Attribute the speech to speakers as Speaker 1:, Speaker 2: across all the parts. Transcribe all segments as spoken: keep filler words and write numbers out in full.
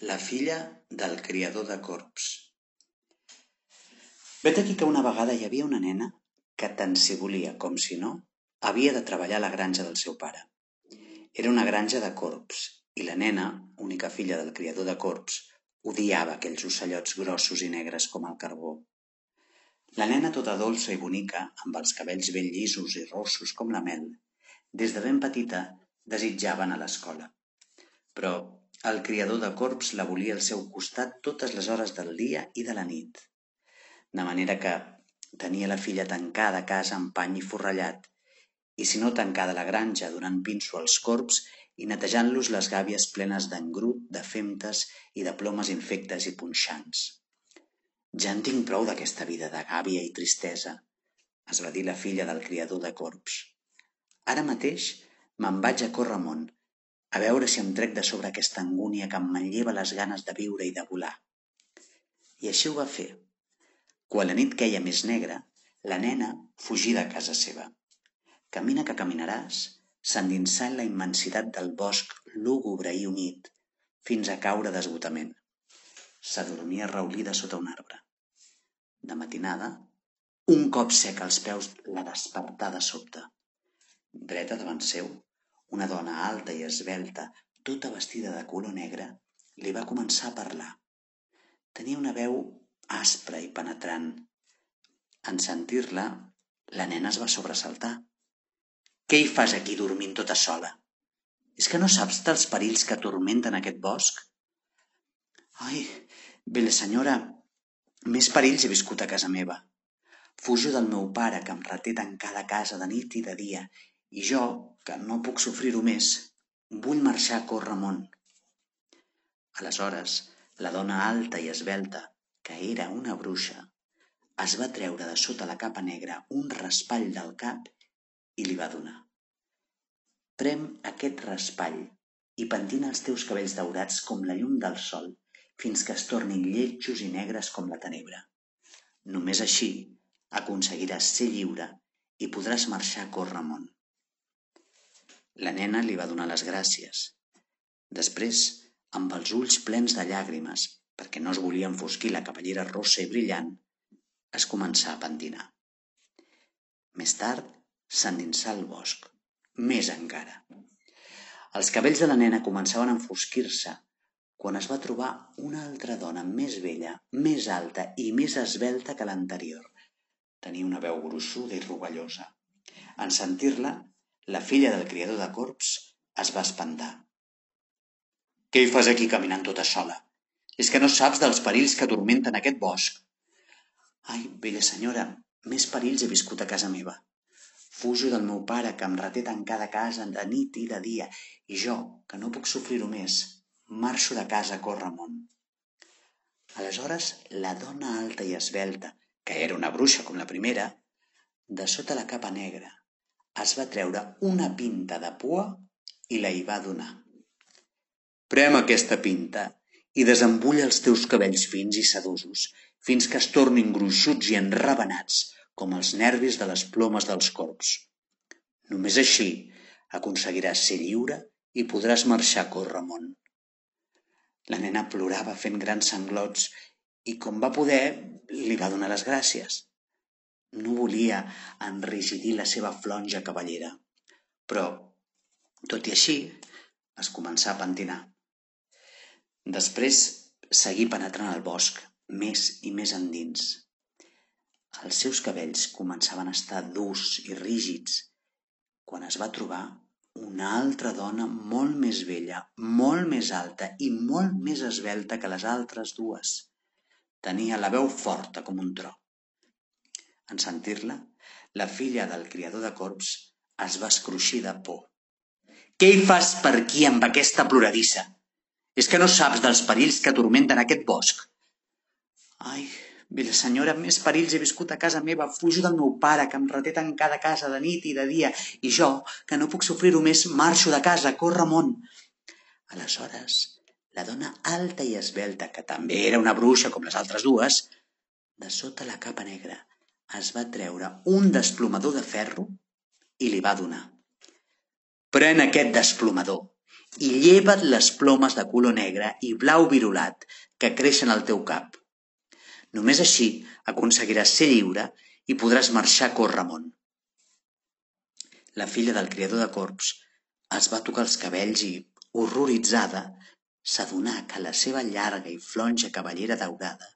Speaker 1: La filla del criador de corbs. Vet aquí que una vegada hi havia una nena que tant si volia com si no havia de treballar a la granja del seu pare. Era una granja de corbs i la nena, única filla del criador de corbs, odiava aquells ocellots grossos i negres com el carbó. La nena tota dolça i bonica, amb els cabells ben llisos i rossos com la mel, des de ben petita desitjava anar a l'escola. Però el criador de corbs la volia al seu costat totes les hores del dia i de la nit. De manera que tenia la filla tancada a casa amb pany i forrellat, i si no tancada a la granja donant pinso als corbs i netejant-los les gàbies plenes d'engrut, de femtes i de plomes infectes i punxants. «Ja en tinc prou d'aquesta vida de gàbia i tristesa», es va dir la filla del criador de corbs. «Ara mateix me'n vaig a córrer món, a veure si em trec de sobre aquesta angúnia que em manlleva les ganes de viure i de volar». I així ho va fer. Quan la nit queia més negra, la nena fugí de casa seva. Camina que caminaràs, s'endinsà en la immensitat del bosc lúgubre i humit, fins a caure d'esgotament. S'adormia raulida sota un arbre. De matinada, un cop sec als peus la despertà de sobte. Dreta davant seu, una dona alta i esvelta, tota vestida de color negre, li va començar a parlar. Tenia una veu aspra i penetrant. En sentir-la, la nena es va sobresaltar. «Què hi fas aquí dormint tota sola? És que no saps dels perills que atormenten aquest bosc?» «Ai, bella senyora, més perills he viscut a casa meva. Fujo del meu pare, que em reté tancada a casa de nit i de dia, i jo, que no puc sofrir-ho més, vull marxar a córrer món». Aleshores, la dona alta i esvelta, que era una bruixa, es va treure de sota la capa negra un raspall del cap i li va donar. «Prem aquest raspall i pentina els teus cabells daurats com la llum del sol fins que es tornin lletjos i negres com la tenebra. Només així aconseguiràs ser lliure i podràs marxar a córrer món». La nena li va donar les gràcies. Després, amb els ulls plens de llàgrimes, perquè no es volia enfosquir la cabellera rossa i brillant, es començà a pentinar. Més tard, s'endinsà al bosc, més encara. Els cabells de la nena començaven a enfosquir-se quan es va trobar una altra dona més vella, més alta i més esvelta que l'anterior. Tenia una veu gruixuda i rovellosa. En sentir-la, la filla del criador de corbs es va espantar. «Què hi fas aquí caminant tota sola? És que no saps dels perills que atormenten aquest bosc?» «Ai, bella senyora, més perills he viscut a casa meva. Fujo del meu pare, que em reté tancada a casa de nit i de dia, i jo, que no puc sofrir-ho més, marxo de casa a córrer món». Aleshores, la dona alta i esvelta, que era una bruixa com la primera, de sota la capa negra, es va treure una pinta de pua i la hi va donar. «Prem aquesta pinta i desembulla els teus cabells fins i sedosos fins que es tornin gruixuts i enravenats com els nervis de les plomes dels corbs. Només així aconseguiràs ser lliure i podràs marxar a córrer món». La nena plorava fent grans sanglots i, com va poder, li va donar les gràcies. No volia enrigidir la seva flonja cabellera, però, tot i així, es començà a pentinar. Després seguí penetrant al bosc, més i més endins. Els seus cabells començaven a estar durs i rígids quan es va trobar una altra dona molt més vella, molt més alta i molt més esvelta que les altres dues. Tenia la veu forta com un tro. En sentir-la, la filla del criador de corbs es va escruixir de por. «Què hi fas per aquí amb aquesta ploradissa? És que no saps dels perills que atormenten aquest bosc?» «Ai, bella senyora, més perills he viscut a casa meva. Fujo del meu pare, que em reté tancada a casa de nit i de dia, i jo, que no puc sofrir-ho més, marxo de casa a córrer món». Aleshores, la dona alta i esvelta, que també era una bruixa com les altres dues, de sota la capa negra, es va treure un desplomador de ferro i li va donar. «Pren aquest desplomador i lleva't les plomes de color negre i blau virulat que creixen al teu cap. Només així aconseguiràs ser lliure i podràs marxar a córrer món. La filla del criador de corbs es va tocar els cabells i, horroritzada, s'adonà que la seva llarga i flonja cabellera daurada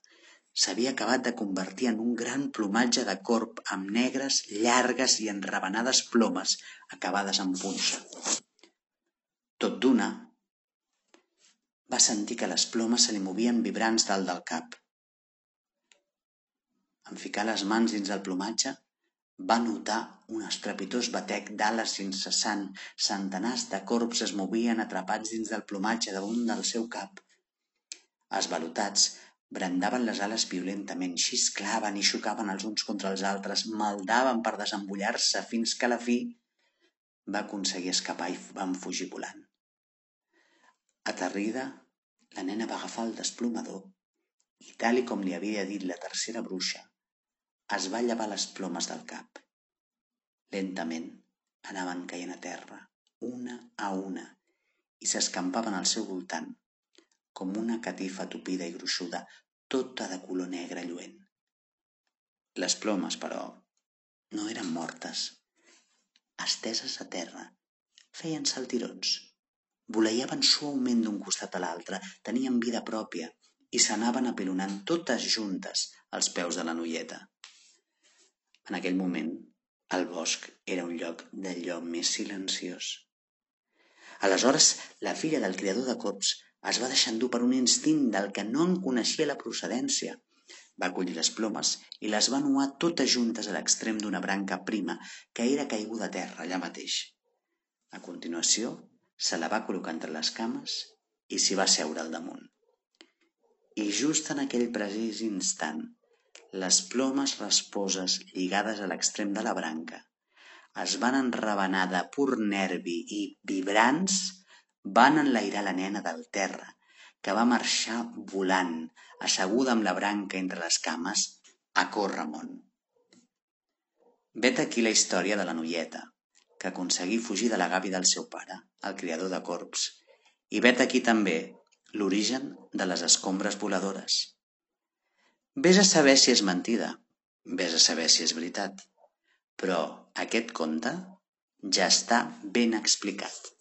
Speaker 1: s'havia acabat de convertir en un gran plomatge de corb amb negres, llargues i enravenades plomes acabades en punxa. Tot d'una, va sentir que les plomes se li movien vibrants dalt del cap. En ficar les mans dins el plomatge, va notar un estrepitós batec d'ales incessant. Centenars de corbs es movien atrapats dins del plomatge damunt del seu cap. Esvalotats, brandaven les ales violentament, xisclaven i xocaven els uns contra els altres, maldaven per desembullar-se fins que a la fi va aconseguir escapar i van fugir volant. Aterrida, la nena va agafar el desplomador i, tal i com li havia dit la tercera bruixa, es va llevar les plomes del cap. Lentament anaven caient a terra, una a una, i s'escampaven al seu voltant, com una catifa tupida i gruixuda, tota de color negre lluent. Les plomes, però, no eren mortes. Esteses a terra, feien saltirons, voleiaven suaument d'un costat a l'altre, tenien vida pròpia i s'anaven apilonant totes juntes als peus de la noieta. En aquell moment, el bosc era un lloc d'allò més silenciós. Aleshores, la filla del criador de corbs es va deixar endur per un instint del que no en coneixia la procedència. Va collir les plomes i les va nuar totes juntes a l'extrem d'una branca prima que era caiguda a terra allà mateix. A continuació, se la va col·locar entre les cames i s'hi va seure al damunt. I just en aquell precís instant, les plomes rasposes lligades a l'extrem de la branca es van enravenar de pur nervi i, vibrants, van enlairar la nena del terra, que va marxar volant, asseguda amb la branca entre les cames, a córrer món. Vet aquí la història de la noieta, que aconseguí fugir de la gàbia del seu pare, el criador de corbs, i vet aquí també l'origen de les escombres voladores. Ves a saber si és mentida, ves a saber si és veritat, però aquest conte ja està ben explicat.